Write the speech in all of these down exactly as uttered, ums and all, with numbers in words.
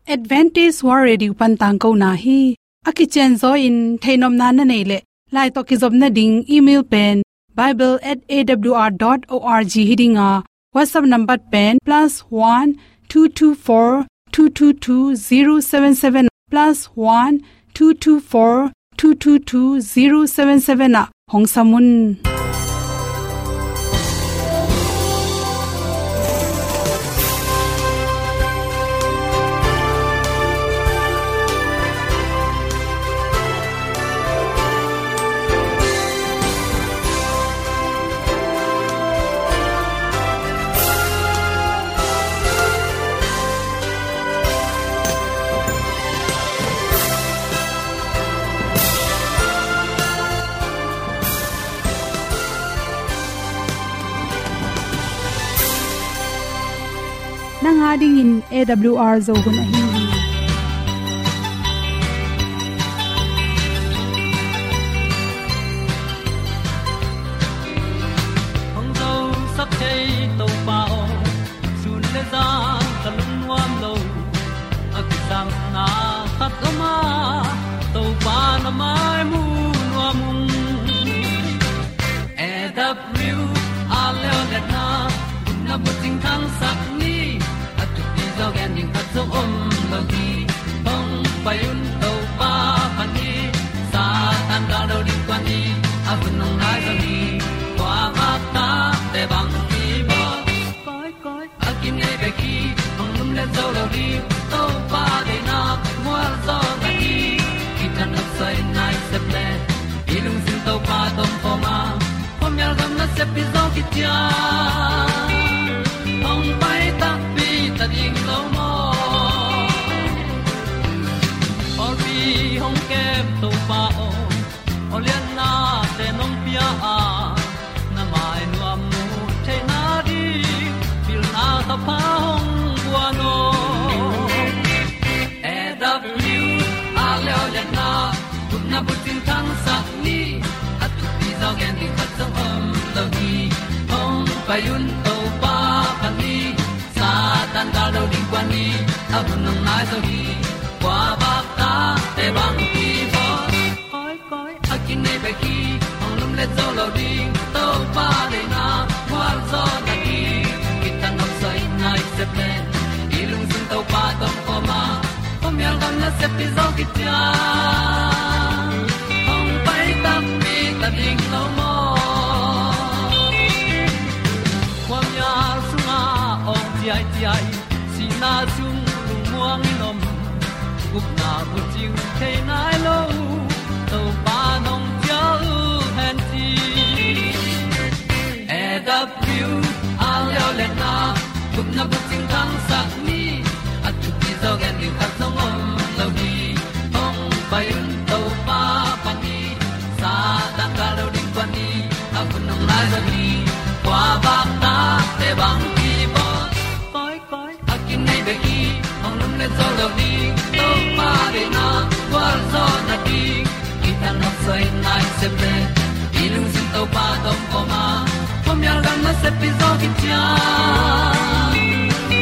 Adventist World Radio pan tangkona hi. A kicianzaw in theihnopna na neih leh, lai tawh kizopna ding email pen bible at A W R dot O R G hi ding a, WhatsApp number pen plus one two two four two two two zero seven seven, plus one two two four two two two zero seven seven ah hong sam un. Nang a dingin A W R Zo hun ahi hi. Hong zosak thei Topa aw, sun le zan ka lungnuam lo. A kisapna khat om a, Topa na mai mu nuam ung. A W R Leo le na, na bucing thangsak ni. A thupi zaw gen ding khat zong om lo hi. Hong pai un Topa pan hi. Satan gal do ding kua ni. A hun hong nai zaw hi. Kua bak ta te bang hi bawl. Koi koi a kinei bek hi. Hong lum le zo lo ding. Topa deihna mual zaw na hi. Kitang a soi nai sep le. I lungsim Topa tawh om khawm a, khuamial gam nasep hi zaw kician. Hong pai takpi ta ding lo maw? Pawlpi hong kem Topa aw, aw liannate nong pia a, na mai nuam mu theihna ding pilna thapha hong guan aw. A W R Leo le na, gupna bucing thangsak ni. A thupi zaw gen ding khat zong om lo hi. Hong pai un Topa pan hi. Satan gal do ding kua ni. A hun hong nai zaw hi. Kua bak ta te bang hi bawl. Koi koi a kinei bek hi. Hong lum le zo lo ding. Topa deihna mual zaw na hi. Kitang a soi nai sep le. I lungsim Topa tawh om khawm a, khuamial gam nasep hi zaw kician. Hong pai takpi ta ding lo maw? Khuamial sungah awng ciaiciai, sihna sung lungmuang in om. Gupna bucing thei nai lo, Topa nong cial hen ci. A W R Leo le na, gupna bucing thangsak ni. A thupi zaw gen ding khat zong om lo hi. Hong pai un Topa pan hi. Satan gal do ding kua ni. A hun hong nai zaw hi. Kua bak ta te bang hi bawl. Koi koi a kinei bek hi. Hong lum le zo lo ding. Topa deihna gualzawhna ding. Kitang a soi nai sep le. I lungsim Topa tawh om khawm a, khuamial gam nasep hi zaw kician.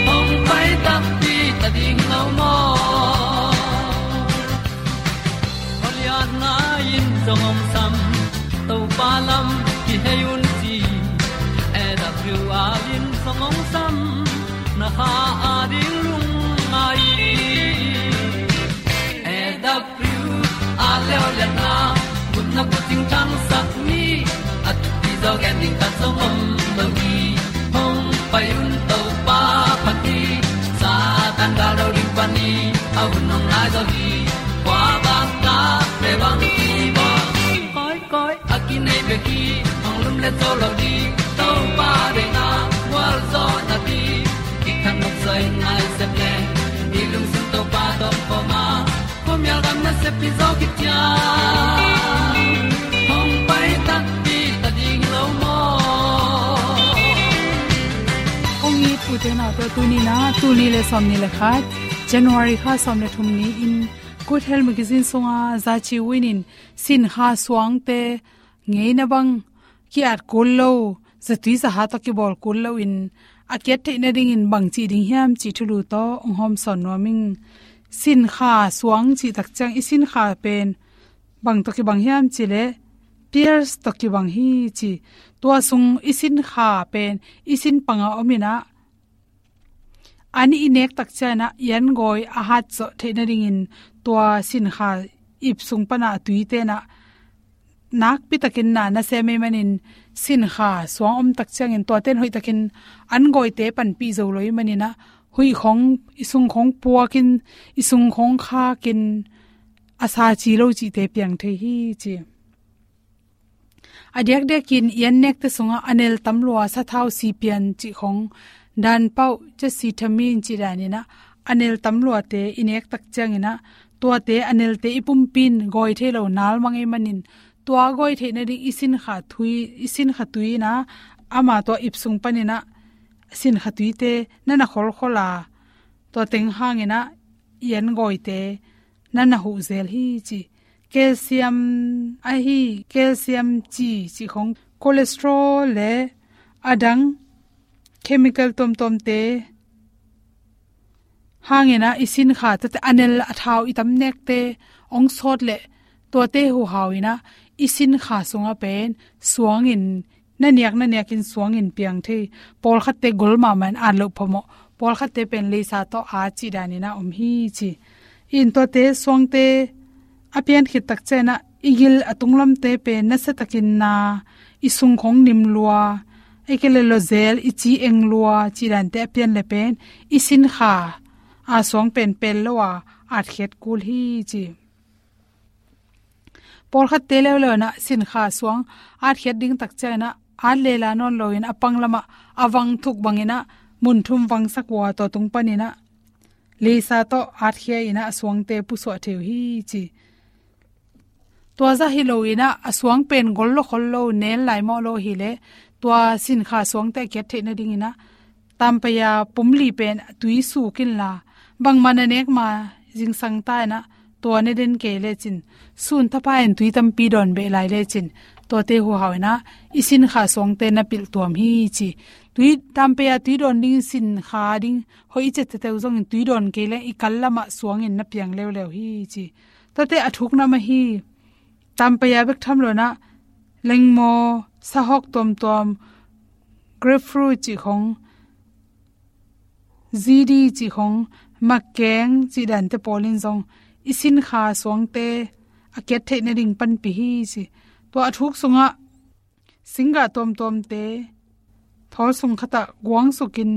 Hong pai takpi ta ding lo maw? Aw liatna in zong hong sam, Topa lam kihei un ci. A W R in zong hong sam, na kha a ding lungngai. A W R Leo le na, gupna bucing thangsak ni. A thupi zaw gen ding khat zong om lo hi. Hong pai un Topa pan hi. Satan gal do ding pan hi. A hun hong nai zaw hi. Kua bak ta te bang hi bawl. Koi koi a kinei bek hi. Hong lum le zo lo ding. Topa deihna gualzawhna ding. Kitang a soi nai sep le. I lungsim Topa tawh om khawm a, khuamial gam nasep hi zaw kician. Hong pai takpi ta ding lo maw? Ong it u te nau te, tuni in ah, tul nih le sawmnih le khat, January kha sawm le thum ni-in Good Health Magazine sungah Za Ci Win in sin kha suangte ngeina bang ki-at kul lo, zatui zaha tawh kibawl kul loin a ki-at theih nadingin bangci ding hiam cih thulu tawh hong hawmsawn nuam ing. Sinkha suang cih tak ciang i sinkha pen bang tawh kibang hiam cih leh, pairs tawh kibang hi ci. Tua sung i sinkha pen i sin panga om in ah, an i nek tak ciang in ah i an gawi a hat zawh theih nadingin tua sinkha ip sung pan a tuite in ah nakpi takin na na sem ahih manin, sinkha suang om tak ciangin tuate in hoih takin an gawite panpih zo lo ahih manin ah, huih khawng, i sung khawng puakin, i sung khawng khakin a sa ci lo cihte piang thei hi ci. A diakdiakin i an nekte sungah a nel tam lua sathau sipian cih khawng, danpauh, cetcitamin cih dan in ah a nel tam luate i nek tak ciangin ah, tuate a nelte i pumpi in gawi thei lo nalmang ahih manin, tua gawi theih nading i sinkha tui, i sinkha tui in ah, ama tua ip sung pan in ah sinkha tuite na na kholkhol a, tua teng hangin ah i an gawite na na huh zel hi ci. Calcium ahi, calcium ci, cih khawng, cholesterol le a dang chemical tuamtuamte hangin ah i sinkha tuate, a nel a thau i tam nekte hong sawt leh, tuate huhau in ah i sinkha sungah pen suangin, na niak na niakin suangin piang thei. Pawlkhatte gol mahmah in at loh phamawh, pawlkhatte pen leisa tawh at cih dan in ah om hi ci. In tuate suangte a pian khit tak ciang in ah i gil a tunglamte pen nasa takin na, i sung khawng nim lua, ahih kei leh lawzel, i ci eng lua cih dante a pian leh pen i sinkha a suang pen pel lo a atkhiat kul hi ci. Pawlkhatte leuleu in ah sinkha suang atkhiat ding tak ciang in ah at lela nawn loin a pang lamah a vang thuk bangin ah mun thum vangsak uh a, tua tung pan in ah leisa tawh atkhia in ah a suangte pusuah thei uh hi ci. Tua zah hi lo in ah a suang pen gol lo khol lo, nel lai mawh lo hi leh, tua sinkha suangte a kiat theih nadingin ah tampaya pumli pen tui suk inla, bangmah na nek ma zingsang ta in ah tua ne den kei lecin, sun tapa in tui tampi dawn beh lai lecin, tuate huhau in ah i sinkha suangte na pilh tuam hi ci. Tui, tampaya tui dawn ding, sinkha ding hoih i ciat teitei uh zongin tui dawn kei leng i kal lamah suangin na piang leuleu hi ci. Tuate a thuk nam ahi, tampaya bek tham lo in ah lengmaw, sahawk tuamtuam, grapefruit cih khawng, zidi cih khawng, makeng cih dante pawlin zong i sinkha suangte a kiat theih nading panpih hi ci. Tua a thuk sungah singgah tuamtuamte thawl sung khatah guang sukin,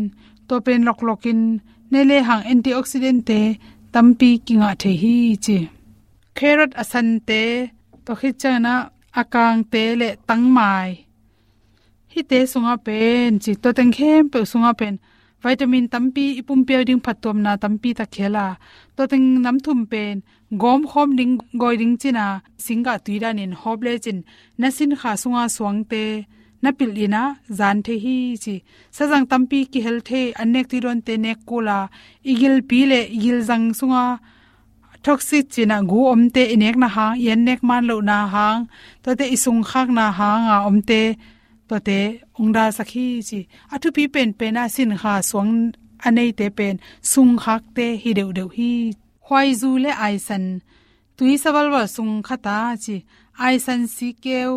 tua pen loklokin ne lehang antioxidantte tampi kingah thei hi ci. Carrot a sante, tua khit ciang in ah a kangte le tangmai, hihte sungah pen ci, tua teng khempeuh sungah pen vitamin tampi, i pumpi a ding phattuamna tampi tak khel a, tua teng nam thum pen gawmkhawm ding, gawi ding cin a, singgah tui danin hawp lecin na sinkha sunga suangte na pilh in ah zan thei hi ci. Sazang tampi kihel thei, an nek tui dawnte nek kul a, i gilpi le i gilzang sunga toxic cih in ah gu omte i nekna hang, i an nek man lohna hang, tuate i sungkhakna hang a omte, tuate hong dalsak hi ci. A thupi penpen ah sinkha suang a neite pen sungkhakte hi deuhdeuh hi. Khuaizu le aisan, tui savalval sung khat a ci, aisan sikeu,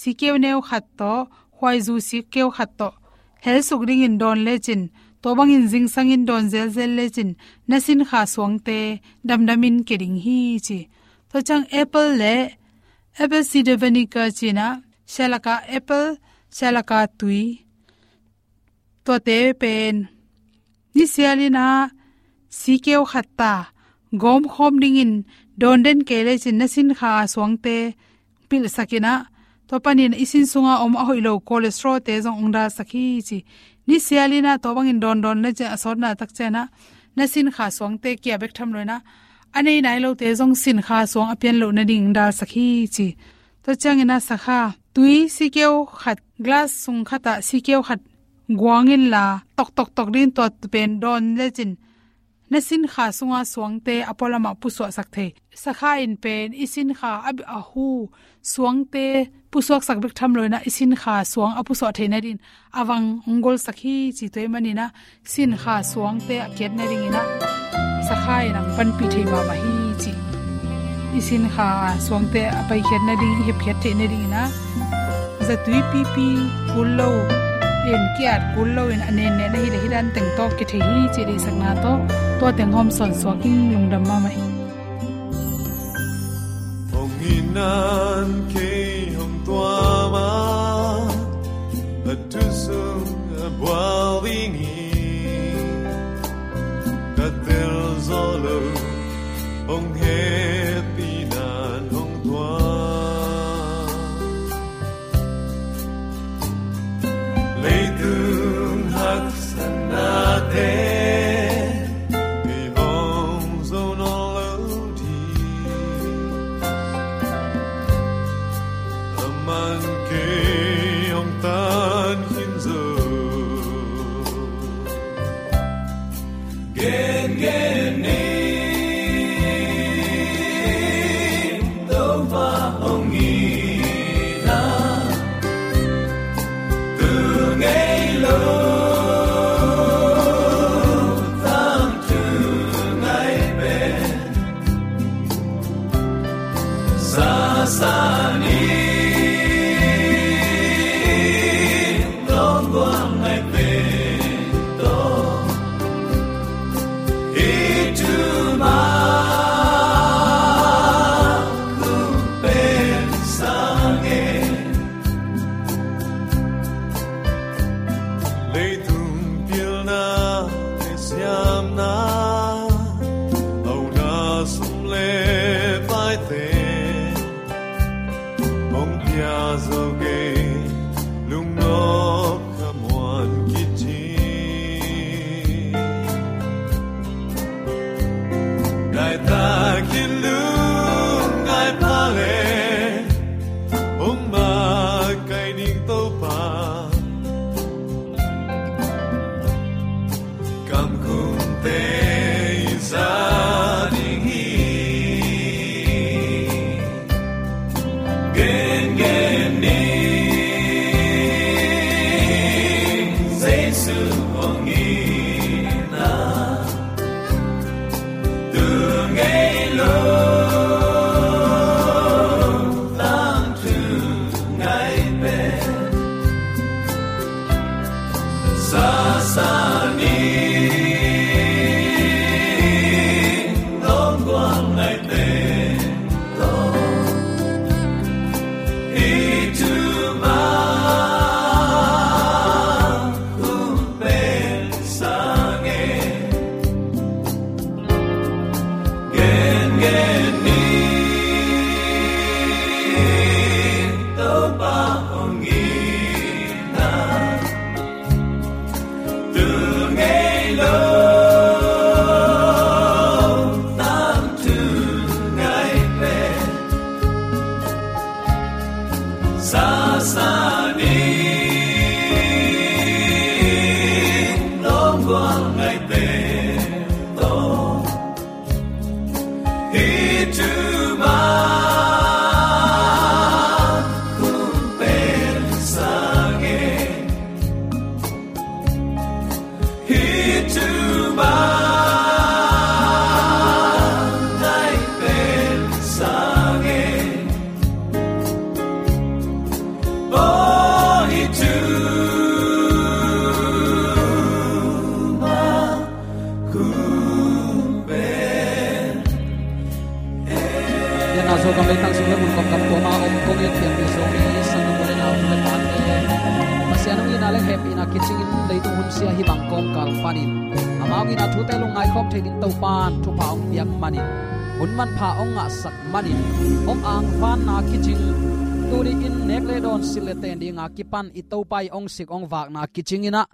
sikeu neu khat tawh, khuaizu sikeu khat tawh helsuk dingin dawn lecin, tua bangin zingsangin dawn zelzel lecin, na sinkha suangte damdamin kia ding hi ci. Tua ciang apple le apple cider vinegar cih in ah, sialaka apple, sialaka tui, tuate pen nisial in ah sikeu khat ta gawmkhawm dingin dawn den kei lecin, na sinkha suangte pilhsak in ah, tua panin i sin sunga om a hoih lo cholesterol-te zong hong dalsak hi ci. Nisial in ah tua bangin dawndawn lecin, a sawtna tak ciang in ah na sinkha suangte kia bek tham lo in ah, a nei nai lote zong sinkha suang a pian loh nading hong dalsak hi ci. Tua ciangin ah sakha, tui sikeu khat, glass sung khatah sikeu khat guang inla, toktok tok dingin tua pen dawn lecin, na sinkha sunga suangte a pualamah pusuahsak thei. Sakha in pen i sinkha a, a hu suangte pusuaksak bek tham lo in ah, i sinkha suang a pusuah theih nadingin a vang hong golsak hi ci. Tua ahih manin ah sinkha suangte a kiat nadingin ah i sakha in hong panpih thei mahmah hi cih i sinkha suangte a paikhiat nading, i hepkhiat theih nading in ah, zatui pipi kul lo in, ki-at kul lo in, a nennen ahi leh hih dan teng tawh kithei hi cih deihsakna tawh tua teng hawmsawn suak in, lungdam mahmah hi. Hong in nan kei hong tuam a, a thu sung a bual ding hi. Ka tel zawh lo, hong hehpih nan hong tuam. Leitung haksatnate i hong zo nawn lo ding, a man kei hong tan khin zo. Gengen ni, Topa hong it a, tu ngei lo tangthu ngai pen, sasa ni, lawng gual ngai pen tawh, i thu mah hong pen sa ngen. Leitung pilna le siamna, auna sum le paite hong pia zo kei, lungnop khamuan kici. Nai takin lungngai pha le, hong makaih ding Topa, kamkumte i za ding hi. Gengen ni, Jesu hong it a, tu ngei lo tangthu ngai pen, sasa ni, lawng gual ngai pen tawh, i thu mah hong pen sa ngen. Gengen ni, Topa hong it a, tu ngei lo tangthu ngai pen, sasa ni, lawng gual ngai pen tawh, i thu mah hong pen sa ngen. I thu mah hong pen sa ngen. Oh, i thu mah hong pen. Pianna Zogam leitang sung le mun kawmkal tuam a om kong it pianpih Zomi sanggam u le nau, u le naute, Pasian hong itna le hehpihna kicingin leitung hun sia hih bang kawmkal panin amau itna thute lungngai khawm thei ding Topa'n thupha hong piak manin, hun manpha hong ngahsak manin, hong angvanna kicing, tuni-in nek le dawn, silh le ten dinga kipan i Topa i hong sik hong vakna kicingin ah,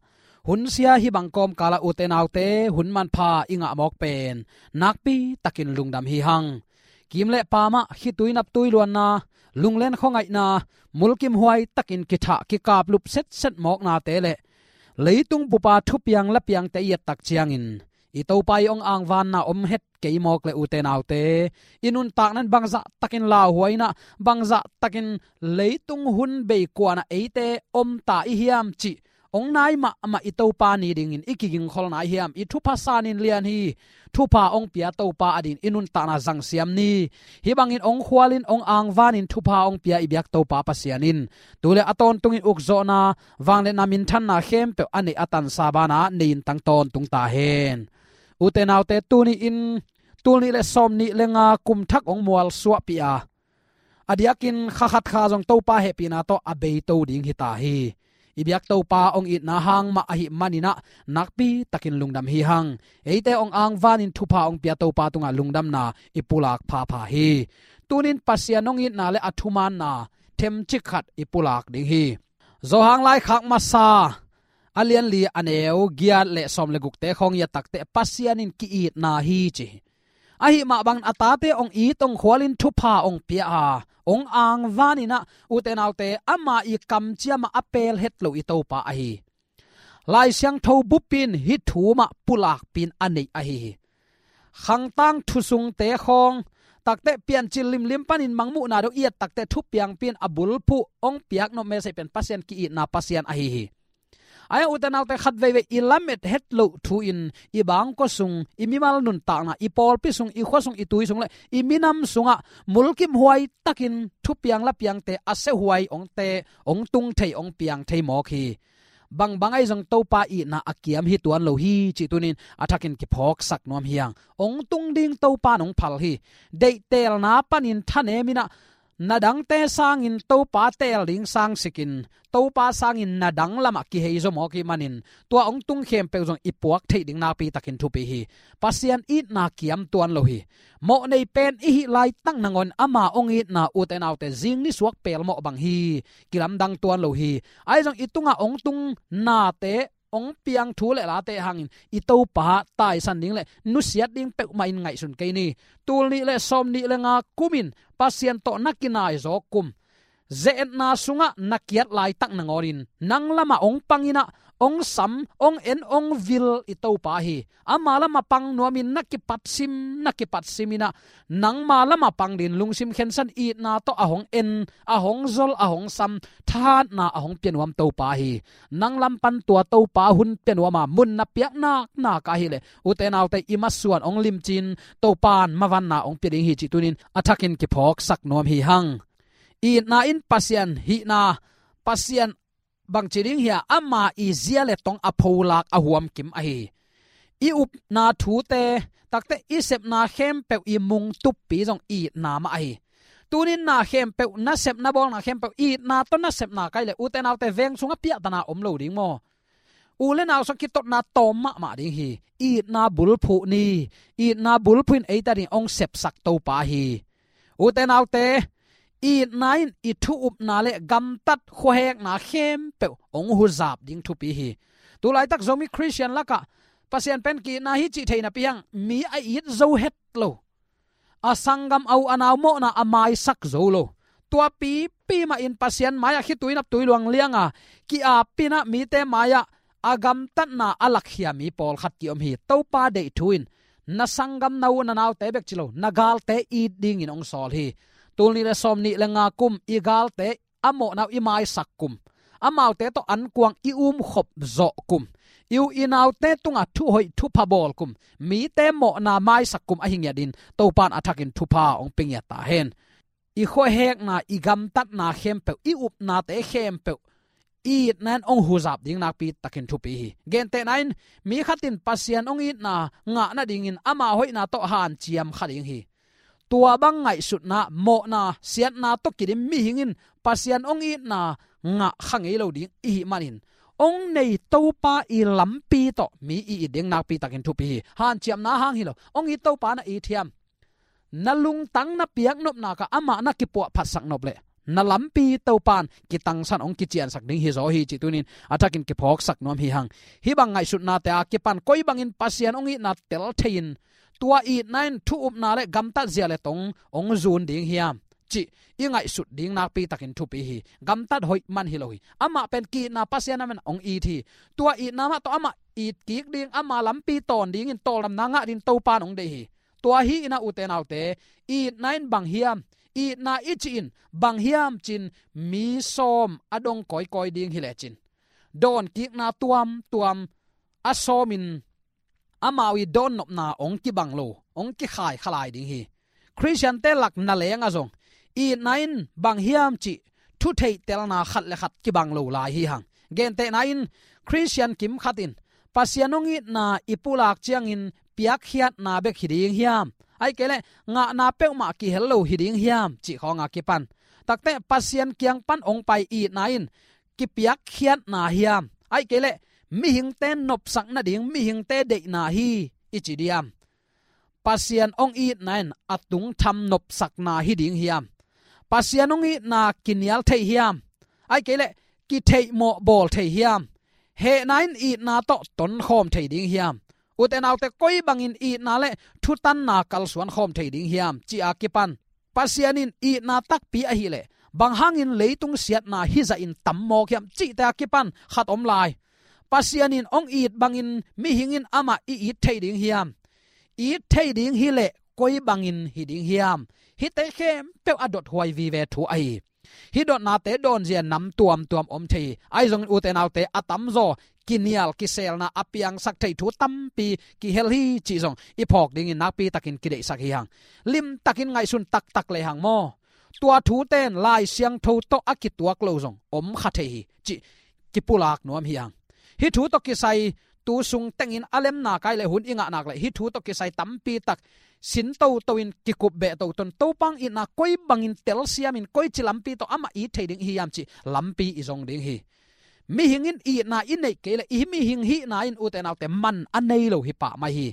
hun sia hih bang kawmkal ah, ute naute, hun manpha i ngah mawk pen nakpi takin lungdam hi hang. Kim le paam ah khitui naptui luanna, lunglen khuangaihna, mulkimhuai takin kithah kikaplup setset mawknate le leitung bupa thupiang lapiangte i et tak ciangin, i Topa i hong angvanna om het kei mawk le, ute naute, i nuntakna in bangzah takin lauhuai in ah, bangzah takin leitung hun bei kuan ah eite om ta i hiam cih hong nai mahmah i Topa ni dingin i kigingkholna hiam? I thupha sanin lian hi. Thupha hong pia Topa adingin i nuntakna zangsiam ni. Hih bangin hong khualin, hong angvanin thupha hong pia i biak Topa Pasian in tu le a tawntungin ukzawhna, vangliatna, minthanna khempeuh a neih a tansa banah nei in tang tawntung ta hen. Ute naute, tuni in tul nih le sawm nih le nga kum thak hong mualsuahpih a, a diakin kha khat kha zong Topa hehpihna tawh a beito ding hi ta hi. I biak Topa hong itna hang mah ahih manin ah nakpi takin lungdam hi hang. Eite hong angvanin thupha hong pia Topa tungah lungdamna i pulak phapha hi. Tunin Pasian hong itna le a thumaanna themcik khat i pulak ding hi. Johan laikhak masa a lianli a neu giat le sawm le gukte khawng i et takteh Pasian in ki-itna hi ci hi. Ahih mah bangin a tate hong it, hong khualin thupha hong pia a, hong angvanin ah, ute naute, ama i kamciam ah a pel het lo i Topa ahi hi. Lai Siangtho bup in hih thu mah pulakpih in a neih ahi hi. Khangtang thusungte khawng takteh Piancil limlim panin Mangmuhna dong i et takteh thupiangpih in a bulphuh hong piak nop mese pen Pasian ki-itna Pasian ahi hi. Ahi hang ute naute, khat veivei i lamet het loh thu-in i bangkua sung, i mimal nuntakna, i pawlpi sung, i khua sung, i tui sung le i minam sungah mulkimhuai takin thupiang lapiangte a siahuai hong te, hong tung thei, hong piang thei mawk hi. Bangbang ahi zong Topa itna a kiam hi tuan lo hi cih tunin a thakin kiphawksak nuam hi hang. Hong tung ding Topa in hong phal hi. Deihtelna panin thanem in ah na dangte sangin Topa teel ding sangsikin, Topa sangin na dang lamah kihei zaw mawk ahih manin tua hong tung khempeuh zong i puak theih ding nakpi takin thupi hi. Pasian itna kiam tuan lo hi. Mawh nei pen i hih laitak nangawn ama hong itna, ute naute, zing nisuak pelmawh bang hi. Kilamdang tuan lo hi. Ahi zong i tungah hong tung nate, hong piang thu le late hangin i Topa taisan ding le nusiat ding peuhmah in ngaihsun kei ni. Tul nih le sawm nih le nga kumin Pasian tawh na kinai zaw kum, ze-etna sungah na kiat laitak nangawnin nang lamah hong pang in ah, hong sam, hong en, hong vil i Topa hi. Ama lamah pang nuamin na kipatsim, na kipatsim in ah, nangma lamah pang dingin lungsim khensan, itna tawh a hong en, a hong zol, a hong sam, thahatna a hong pia nuam Topa hi. Nang lam pan tua Topa hun pia nuam a, mun na piak naknak ahih leh, ute naute, i masuan hong limci-in Topa in mavanna hong pia ding hi cih tunin a thakin kiphawksak nuam hi hang. Itna in Pasian hihna, Pasian bangci ding hiam, ama i zia le tong a pholak a huamkim ahi hi. I upna thute, takteh i sepna khempeuh, i mungtuppi zong itna mah ahi hi. Tunin na khempeuh, na sepna bawlna khempeuh itna tawh na sepna ka hih leh, ute naute, veng sungah piahtana om lo ding maw? U le nau sungah kitotna tawm mahmah ding hi. Itna bulphuh ni. Itna bulphuh in eite adingin hong sepsak Topa hi. Ute naute, itna in i thu upna le gamtat khuahekna khempeuh hong huzap ding thupi hi. Tulaitak Zomi Khristian lakah Pasian pen ki-itna hi cih thei napi hang, mi a it zo het lo, a sanggam, a u a nau mawhna a maisak zo lo, tua pipi mahin Pasian mai-ah khitui naptui luang lianga ki-ap in ah mite mai-ah a gamtatna a lakkhia mi pawlkhat ki-om hi. Topa deih thu in na sanggam, na u na naute bek ci lo, na galte it dingin hong sawl hi. Tul nih le sawm nih le nga kum, i galte a mawhna uh i maisak kum, amaute tawh ankuang i umkhop zawh kum, i u i naute tungah thuhoih thupha bawl kum, mite mawhna maisak kum ahi ngiatin Topa in a thakin thupha hong pia ngiat ta hen. I khuahekna, i gamtatna khempeuh, i upnate khempeuh i itna in hong huzap ding nakpi takin thupi hi. Gentehna in, mi khat in Pasian hong itna ngah nadingin ama hoihna tawh hanciam kha ding hi. Tua bang ngaihsutna, mawhna, siatna tawh kidim mihing in Pasian hong itna ngah kha ngei lo ding i hih manin, hong nei Topa i lampi tawh mi i it ding nakpi takin thupi hi. Hanciamna hang hi lo, hong it Topa na it hiam? Na lungtang na piaknopna kah amah na kipuahphatsak nop leh, na lampi Topa in kitangsan, hong kiciansak ding hi zaw hi cih tunin a thakin kiphawksak nuam hi hang. Hih bang ngaihsutnate a kipan koi bangin Pasian hong itna tel thei-in, tua itna in thu upna le gamtat zia le tong hong zun ding hiam cih i ngaihsut ding nakpi takin thupi hi. Gamtat hoih man hi lo hi. Amah pen ki-itna Pasian a man hong it hi. Tua itna mah tawh amah it kik ding, ama lampi tawn dingin tawldamna ngah dingin Topa in hong deih hi. Tua hi in ah, ute naute, itna in bang hiam, itna i cih in bang hiam ci-in mi sawm a dong kawikawi ding hi lecin, dawnkikna tuamtuam a sawmin amau i dawnnopna hong kibang lo, hong kikhai khalai ding hi. Khristiante lak na lengah zong itna in bang hiam cih thu theihtelna khat le khat kibang lo lai hi hang. Gentehna in Khristian kim khat in Pasian hong itna i pulak ciangin piakkhiatna bek hi ding hiam? Ahih kei leh ngahna peuhmah kihel lo hi ding hiam cih khawng a kipan takte Pasian kiang pan hong pai itna in kipiakkhiatna hiam? Ahih kei leh mihingte nopsak nading mihingte deihna hi i ci diam? Pasian hong itna in a tungtham nopsakna hi ding hiam? Pasian hong itna kinial thei hiam? Ahih kei leh kitheihmawh bawl thei hiam? Hehna in itna tawh tonkhawm thei ding hiam? Ute naute, koi bangin itna le thutanna kalsuan khawm thei ding hiam cih a kipan Pasian in itna takpi ahih leh bang hangin leitung siatna hizah in tam mawk hiam cihte a kipan khat om lai. Pasian in hong it bangin mihing in amah i it thei ding hiam? It thei ding hi leh koi bangin hi ding hiam? Hihte khempeuh a dothuai vive thu ahi. Hih dotnate dawnzia nam tuamtuam om thei hi. Ahi zongin ute naute, a tamzaw kinial kiselna a piangsak thei thu tampi kihel hi cih zong i phawk dingin nakpi takin kideihsak hi hang. Limtakin ngaihsun taktak lehang maw, tua thute in Lai Siangtho tawh a kituak lo zong om kha thei hi cih kipulak nuam hi hang. Hih thu tawh kisai tu sung tengin a lemna kai le hun i ngah nak le hih thu tawh kisai tampi tak sin toto in kikup beh toto in Topa hong itna koi bangin telsiamin koici lampi tawh amah it thei ding i hi hiam cih lampi i zong ding hi. Mihing in itna i neih kei le i mihing hihna in ute naute man a nei lo hi pah mai hi.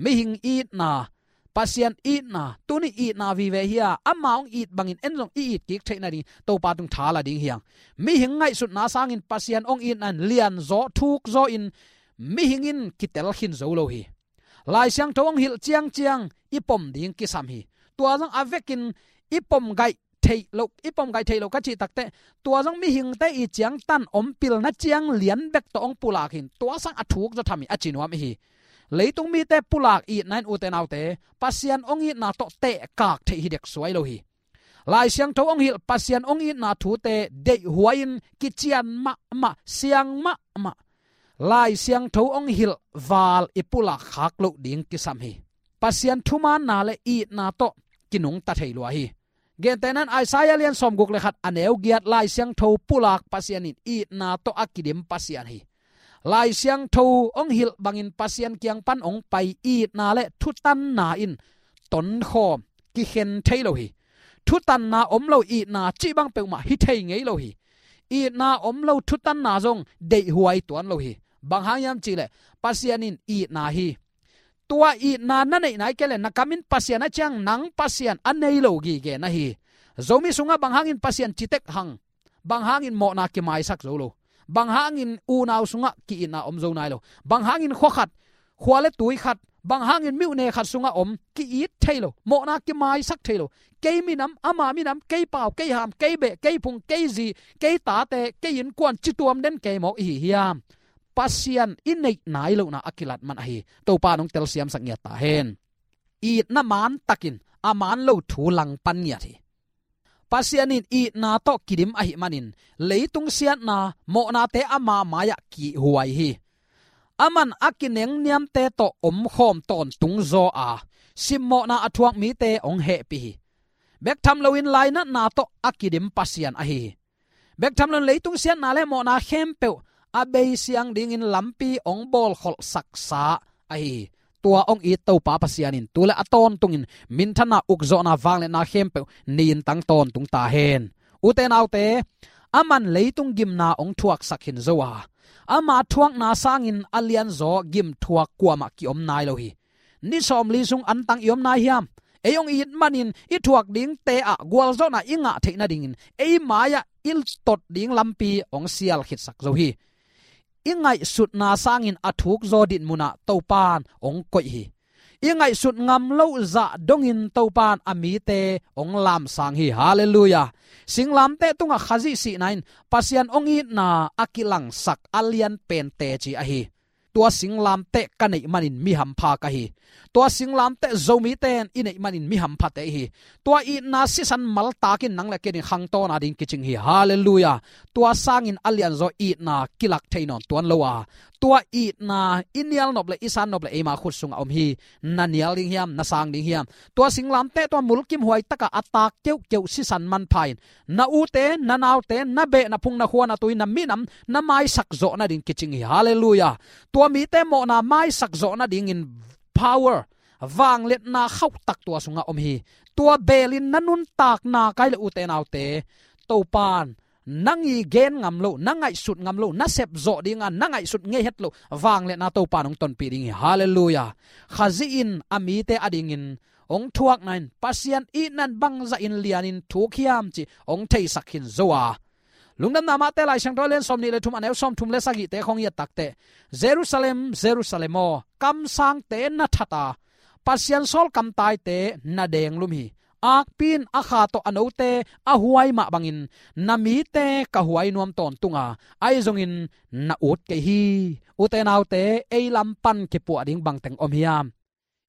Mihing itna, Pasian itna, tuni itna vive hi a, ama hong it bangin en zong i it kik theih nading Topa tung tha la ding hi hang. Mihing ngaihsutna sangin Pasian hong itna in lianzaw thukzaw in mihing in kitel khin zo lo hi. Lai Siangtho hong hilh ciangciang i pom ding kisam hi. Tua zong a vekin i pom gaih theih lo, i pom gaih theih lo ka cih takte, tua zong mihingte i ciangtan om pilna ciang lian bek tawh hong pulak hi in tua sang a thuk zaw tham hi a ci nuam i hi. Leitung mite pulak itna in ute naute, Pasian hong itna tawh tehkak theih hi dek suai lo hi. Lai Siangtho hong hilh Pasian hong itna thute deihhuai in kician mahmah, siang mahmah Lai Siangtho hong hilh val i pulak khak loh ding kisam hi. Pasian thumaanna le itna tawh kinungta thei lua hi. Gentehna in Isaiah lian sawmguk le khat a neu giat Lai Siangtho pulak Pasian in itna tawh a kidim Pasian hi. Lai Siangtho hong hilh bangin Pasian kiang pan hong pai itna le thutanna in tonkhawm kikhen thei lo hi. Thutanna om lo itna cih bang peuhmah hi thei ngei lo hi. Itna om lo thutanna zong deihhuai tuan lo hi. Bang hang hiam cih leh Pasian in itna hi. Tua itna na neih nai kei le na kam in Pasian a ciang nang Pasian a nei lo gige na hi. Zomi sungah bang hangin Pasian citek hang, bang hangin mawhna kimaisak zo lo, bang hangin unau sungah ki-itna om zo nai lo, bang hangin khua khat, khua le tui khat, bang hangin myone khat sungah om ki-it thei lo, mawhna kimaisak thei lo. Kei minam, ama minam, kei pau, kei ham, kei beh, kei phung, kei zi, kei tate, kei innkuan, cituam den kei mawk i hi hiam? Pasian i neih nai lohna a kilat man ahi. Topa in hong telsiamsak ngiat ta hen. Itna maan takin a maan lo thu langpan ngiat hi. Pasian in itna tawh kidim ahih manin leitung siatna mawhnate ama mai-ah kihhuai hi. Aman a kinengniamte tawh omkhawm tawntung zaw a, simmawhna a thuak mite hong hehpih hi. Bek tham loin lainatna tawh a kidim Pasian ahi hi. Bek tham loin leitung siatna le mawhna khempeuh a beisiang dingin lampi hong bawlkholhsaksa ahi hi. Tua hong it Topa Pasian in tu le a tawntungin minthanna, ukzawhna, vangliatna khempeuh nintang tawntung ta hen. Ute naute, aman leitung gimna hong thuaksak khin zo a, ama thuakna sangin a lianzaw gim thuak kuamah kiom nai lo hi. Ni sawmli sung antang i om nai hiam? Ei hong it manin i thuak dingte ah gualzawhna i ngah theih nadingin ei mai-ah i tot ding lampi hong sial khitsak zo hi. I ngaihsutna sangin a thukzaw dinmun ah Topa in hong koih hi. I ngaihsut ngam loh zah dongin Topa in a mite hong lamsang hi. Halleluiah. Singlamteh tungah Khazih sihna in Pasian hong itna a kilangsak a lianpen teci ahi. Tua singlamteh ka neih manin mi hampha ka hi. Tua singlamteh Zomite in i neih manin mi hamphate i hi. Tua itna sisan maltakin nang le kei in khangtawn a ding kicing hi. Halleluiah. Tua sangin a lianzaw itna kilak thei nawn tuan lo a, tua itna i nial nop le i san nop le eima khut sungah om hi. Na nial ding hiam, na sang ding hiam? Tua singlamteh tua mulkimhuai takah a taak keuhkeuh sisan manpha in na ute, na naute, na beh, na phung, na khua, na tui, na minam na maisak zawh nading kicing hi. Halleluiah. Tua mite mawhna maisak zawh nadingin power, vangliatna khauhtak tua sungah om hi. Tua belin na nuntakna kai le ute naute, Topan nang i gen ngam lo, na ngaihsut ngam lo, na sep zawh dinga na ngaihsut ngei het lo vangliatna Topan hong tonpih ding hi. Halleluiah. Khazih in a mite a dingin hong thuakna in Pasian itna in bangzah in lianin thuk hiam cih hong theisak khin zo a. Lungdamna mahte, Lai Siangtho a lian sawmnih le thum, a neu sawmthum le sagihte khong i et takteh, Jerusalem, Jerusalem aw, kamsangte na that a, Pasian sawlkamtaite na denglum hi. Akpi in a kha tawh a note a huai mah bangin na mite ka huai nuam tawntung a, ahi zongin na ut kei hi. Ute naute, ei lam pan kipuah ding bangteng om hiam?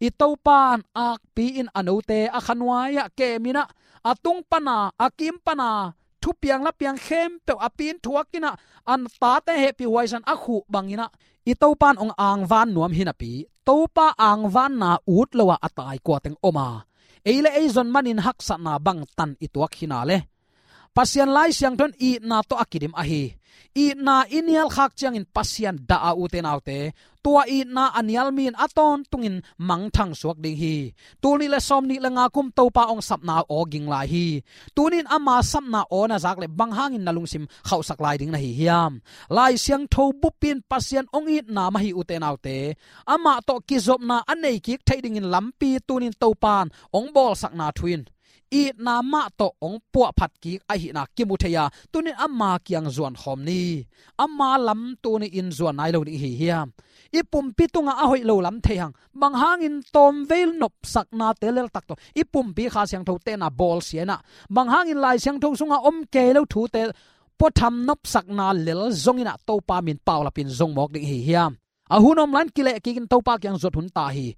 I Topan akpi in a note a khanuai-ah kemin ah, a tung pana, a kim pana, thupiang lapiang khempeuh a pi in thuakin ah, a tate hehpih huaisan a khuh bangin ah, i Topan hong angvan nuam hi napi, Topa angvanna ut lo-a a tai kuateng om a, ei le ei zon manin haksatna bangtan i tuak hi na le? Pasian Lai Siangtho in itna tawh a kidim ahi. Itna i nial khak ciangin Pasian dah a, ute naute, tua itna a nial mi in a tawntungin mangthang suak ding hi. Tul nih le sawmnih le nga kum Topa hong sapna aw ging lai hi. Tuni in ama sapna aw na zak leh bang hangin na lungsim khauhsak lai ding na hi hiam? Lai Siangtho bup in Pasian hong itna mah hi, ute naute. Amah tawh kizopna a nei kik theih dingin lampi tuni in Topan hong bawlsakna thu in itna mah tawh hong puahphat kik ahihna kimu thei a, tuni in ama kiang zuan khawm ni. Ama lam tuni in zuan nai lo ding hi hiam? I pumpi tungah a hoih lo lam thei hang, bang hangin tawmvei nopsaknate leltak tawh i pumpi Kha Siangtho tenna bawlsia in ah, bang hangin Lai Siangtho sungah om kei lo thute puatham nopsakna lel zongin ah Topa min paulapin zong mawk ding hi hiam? A hun om lai-in kileh kikin Topa kiang zuat hun ta hi.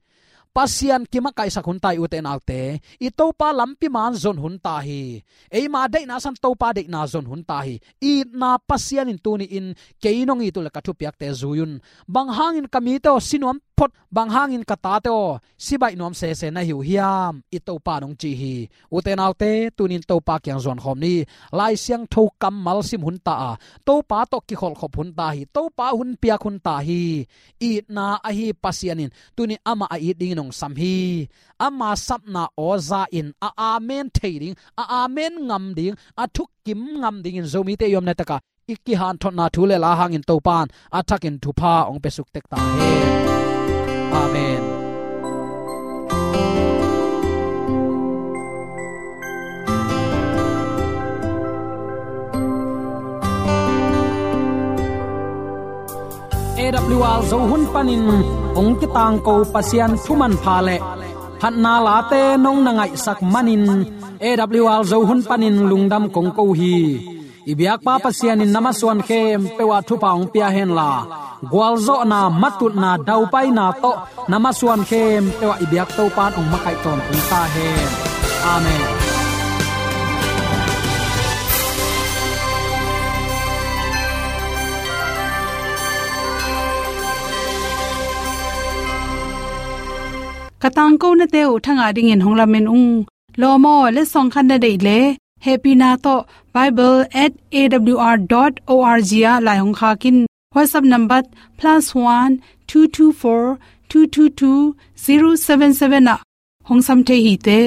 Pasian kimakaihsak hun ta hi, ute naute. I Topa lampi man zon hun ta hi. Eima deihna san Topa deihna zon hun ta hi. Itna Pasian in tuni in kei nong it uh leh ka thupiakte zui un. Bang hangin ka mite aw si nuam phot, bang hangin ka tate aw si baih nuam sese na hi uh hiam? I Topa in hong ci hi. Ute naute, tuni in Topa kiang zuan khawm ni. Lai Siangtho kammal sim hun ta a, Topa tawh kikholhkhop hun ta hi. Topa hun piak hun ta hi. Itna ahi Pasian in tuni in amah a it dingin hong sam hi. Ama sapna aw za in a amen thei ding, a amen ngam ding, a thukim ngam dingin Zomite i omna takah i kihanthotna thu le la hangin Topa in a thakin thupha hong pia suk tek ta hen. Amen. A W R Zo hun panin hong kitangko Pasian thu manpha le phatna late nong na ngaihsak manin A W R Zo hun panin lungdam kong ko hi. I biakpa Pasian in na masuan khempeuh ah thupha hong pia henla, gualzawhna, matutna, daupaina tawh na masuan khempeuh ah i biak Topa in hong makaih tawntung ta hen. Amen. Ka tangkonate uh thangah dingin hong lamen ung. Lawm aw, letsong khat na deih leh, hehpihna tawh bible at A W R dot O R G ah lai hong khak in. WhatsApp number plus one two two four two two two zero seven seven ah hong sam thei hi te.